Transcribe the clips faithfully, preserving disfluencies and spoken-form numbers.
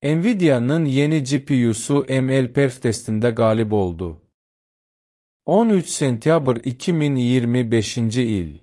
Nvidia'nın yeni G P U'su M L Perf testinde galip oldu. on üç sentyabr iki min iyirmi beşinci il.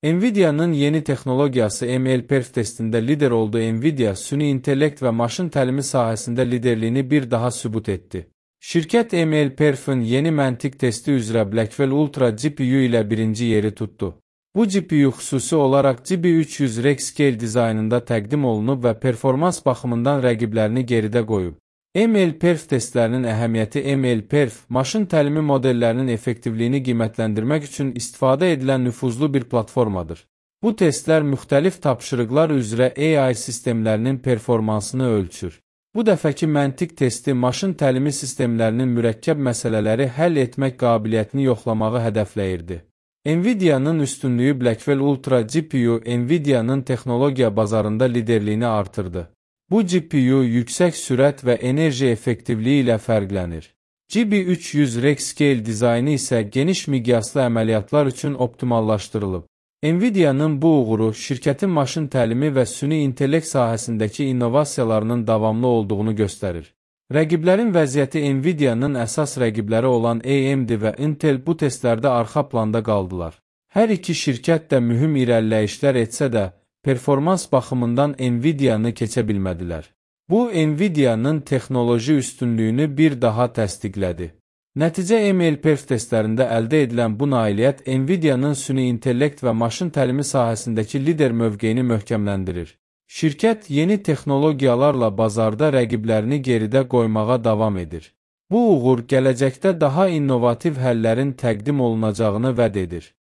Nvidia'nın yeni texnologiyası M L Perf testinde lider oldu. Nvidia, süni intellekt və maşın təlimi sahəsində liderliyini bir daha sübut etdi. Şirkət M L Perf'in yeni məntiq testi üzrə Blackwell Ultra G P U ilə birinci yeri tutdu. Bu G P U xüsusi olaraq G B üç yüz Rexscale dizaynında təqdim olunub və performans baxımından rəqiblərini geridə qoyub. M L Perf testlərinin əhəmiyyəti M L Perf, maşın təlimi modellərinin effektivliyini qiymətləndirmək üçün istifadə edilən nüfuzlu bir platformadır. Bu testlər müxtəlif tapşırıqlar üzrə A I sistemlərinin performansını ölçür. Bu dəfəki məntiq testi maşın təlimi sistemlərinin mürəkkəb məsələləri həll etmək qabiliyyətini yoxlamağı hədəfləyirdi. Nvidia'nın üstünlüyü Blackwell Ultra G P U Nvidia'nın texnologiya bazarında liderliyini artırdı. Bu G P U yüksək sürət və enerji effektivliyi ilə fərqlənir. G B üç yüz Rexscale dizaynı isə geniş miqyaslı əməliyyatlar üçün optimallaşdırılıb. Nvidia'nın bu uğuru şirkətin maşın təlimi və süni intellekt sahəsindəki innovasiyalarının davamlı olduğunu göstərir. Rəqiblərin vəziyyəti Nvidia'nın əsas rəqibləri olan A M D və Intel bu testlərdə arxa planda qaldılar. Hər iki şirkət də mühüm irəliləyişlər etsə də, performans baxımından Nvidia'nı keçə bilmədilər. Bu, Nvidia'nın texnoloji üstünlüyünü bir daha təsdiqlədi. Nəticə M L Perf testlərində əldə edilən bu nailiyyət Nvidia'nın süni intellekt və maşın təlimi sahəsindəki lider mövqeyini möhkəmləndirir. Şirkət yeni texnologiyalarla bazarda rəqiblərini geridə qoymağa davam edir. Bu uğur gələcəkdə daha innovativ həllərin təqdim olunacağını vəd edir.